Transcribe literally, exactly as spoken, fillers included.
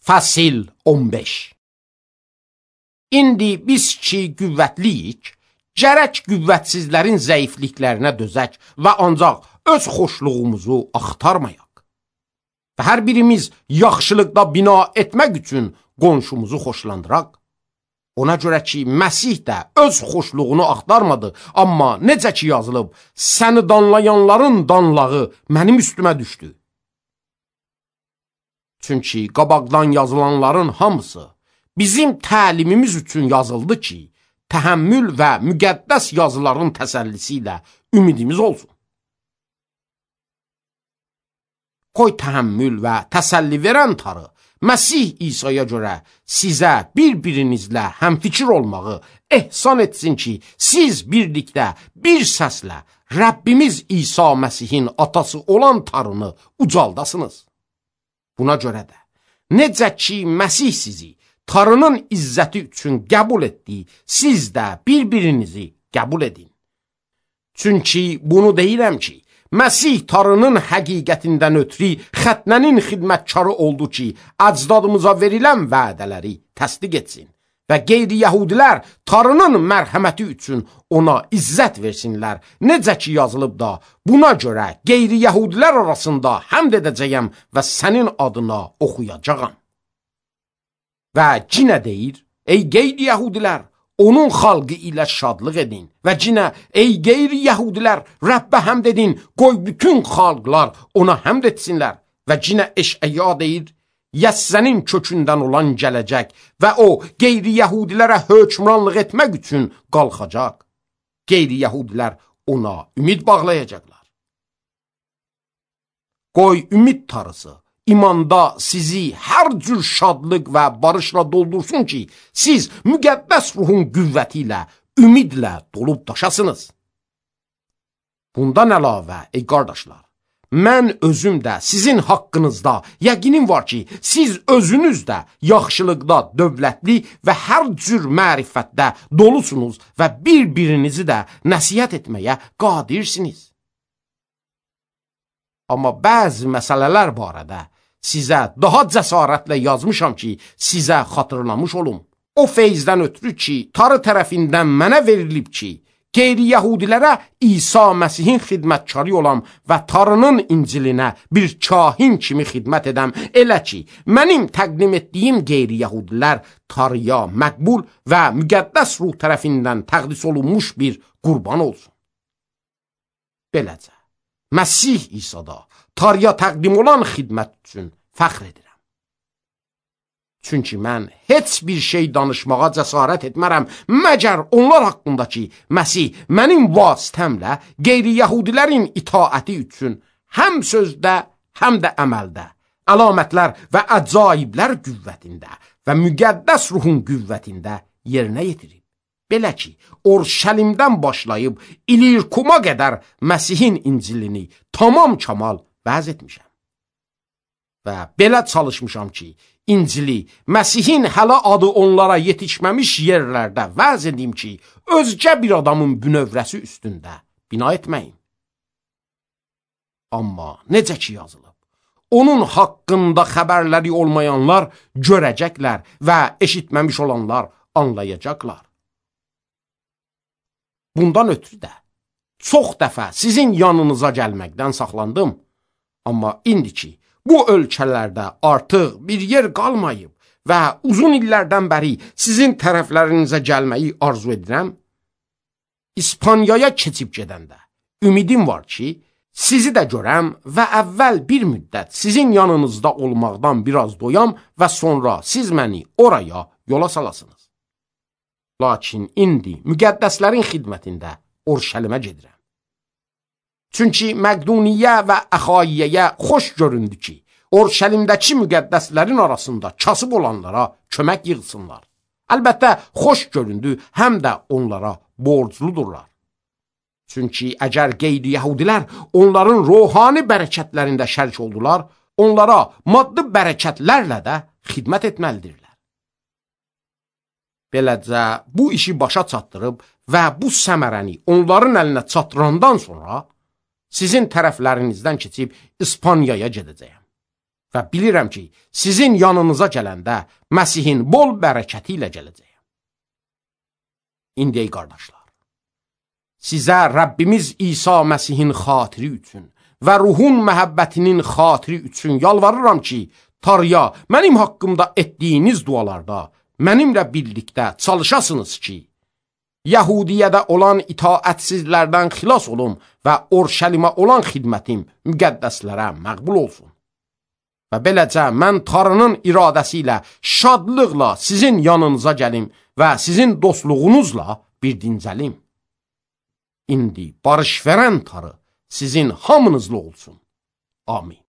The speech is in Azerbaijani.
Fəsil on beş. İndi biz ki qüvvətliyik, gərək qüvvətsizlərin zəifliklərinə dözək və ancaq öz xoşluğumuzu axtarmayaq. Və hər birimiz yaxşılıqda bina etmək üçün qonşumuzu xoşlandıraq. Ona görə ki, Məsih də öz xoşluğunu axtarmadı, amma necə ki yazılıb, səni danlayanların danlağı mənim üstümə düşdü. Çünki qabaqdan yazılanların hamısı bizim təlimimiz üçün yazıldı ki, təhəmmül və müqəddəs yazıların təsəllisi ilə ümidimiz olsun. Qoy təhəmmül və təsəlli verən Tanrı, Məsih İsa'ya görə sizə bir-birinizlə həmfikir olmağı ehsan etsin ki, siz birlikdə bir səslə Rəbbimiz İsa Məsihin atası olan Tanrını ucaldasınız. Buna görə də, necə ki Məsih sizi Tanrının izzəti üçün qəbul etdi, siz də bir-birinizi qəbul edin. Çünki bunu deyirəm ki, Məsih Tanrının həqiqətindən ötürü xətnənin xidmətkarı oldu ki, əcdadımıza verilən vədələri təsdiq etsin və qeyri-yəhudilər Tanrının mərhəməti üçün ona izzət versinlər. Necə ki yazılıb da, buna görə qeyri-yəhudilər arasında həmd edəcəyəm və sənin adına oxuyacağam. Və cinə deyir, ey qeyri-yəhudilər, onun xalqı ilə şadlıq edin. Və cinə, ey qeyri-yəhudilər, Rəbbə həmd edin, qoy bütün xalqlar ona həmd etsinlər. Və cinə Eşəya deyir, Yəssənin kökündən olan gələcək və o qeyri-yəhudilərə hökmranlıq etmək üçün qalxacaq. Qeyri-yəhudilər ona ümid bağlayacaqlar. Qoy ümid tarısı imanda sizi hər cür şadlıq və barışla doldursun ki, siz müqəddəs ruhun qüvvəti ilə, ümidlə dolub daşasınız. Bundan əlavə, ey qardaşlar, mən özüm də sizin haqqınızda yəqinim var ki, siz özünüz də yaxşılıqda dövlətli və hər cür mərifətdə dolusunuz və bir-birinizi də nəsihət etməyə qadirsiniz. Amma bəzi məsələlər barədə sizə daha cəsarətlə yazmışam ki, sizə xatırlamış olum. O feyzdən ötürü ki, Tanrı tərəfindən mənə verilib ki, qeyri-yəhudilərə İsa Məsihin xidmətkarı olam və Tanrının İncilinə bir kahin kimi xidmət edəm, elə ki, mənim təqdim etdiyim qeyri-yəhudilər Tanrıya məqbul və müqəddəs ruh tərəfindən təqdis olunmuş bir qurban olsun. Beləcə, Məsih İsa'da Tanrıya təqdim olan xidmət üçün fəxr edirəm. Çünki mən heç bir şey danışmağa cəsarət etmərəm, məgər onlar haqqında ki, Məsih mənim vasitəmlə qeyri-yəhudilərin itaəti üçün həm sözdə, həm də əməldə, əlamətlər və əcaiblər qüvvətində və müqəddəs ruhun qüvvətində yerinə yetirib. Belə ki, Orşəlimdən başlayıb İlirkuma qədər Məsihin İncilini tamam kamal vəz etmişəm. Və belə çalışmışam ki, İncili Məsihin hələ adı onlara yetişməmiş yerlərdə vəz edim ki, özgə bir adamın bünövrəsi üstündə bina etməyin. Amma necə ki yazılıb, onun haqqında xəbərləri olmayanlar görəcəklər və eşitməmiş olanlar anlayacaqlar. Bundan ötürü də çox dəfə sizin yanınıza gəlməkdən saxlandım. Amma indi ki, bu ölkələrdə artıq bir yer qalmayıb və uzun illərdən bəri sizin tərəflərinizə gəlməyi arzu edirəm, İspaniyaya keçib gedəndə ümidim var ki, sizi də görəm və əvvəl bir müddət sizin yanınızda olmaqdan biraz doyam və sonra siz məni oraya yola salasınız. Lakin indi müqəddəslərin xidmətində Orşəlimə gedirəm. Çünki Məqduniyə və Əxayiyyəyə xoş göründü ki, Orşəlimdəki müqəddəslərin arasında kasıb olanlara kömək yığsınlar. Əlbəttə, xoş göründü, həm də onlara borcludurlar. Çünki əgər qeyri-yəhudilər onların ruhani bərəkətlərində şərik oldular, onlara maddi bərəkətlərlə də xidmət etməlidirlər. Beləcə, bu işi başa çatdırıb və bu səmərəni onların əlinə çatdırandan sonra sizin tərəflərinizdən keçib İspaniyaya gedəcəyəm. Və bilirəm ki, sizin yanınıza gələndə Məsihin bol bərəkəti ilə gələcəyəm. İndi ey qardaşlar, sizə Rəbbimiz İsa Məsihin xatiri üçün və ruhun məhəbbətinin xatiri üçün yalvarıram ki, Tanrıya mənim haqqımda etdiyiniz dualarda mənimlə birlikdə çalışasınız ki, Yəhudiyədə olan itaətsizlərdən xilas olum və Orşəlimə olan xidmətim müqəddəslərə məqbul olsun. Və beləcə mən Tanrının iradəsi ilə şadlıqla sizin yanınıza gəlim və sizin dostluğunuzla bir dincəlim. İndi barış verən Tanrı sizin hamınızla olsun. Amin.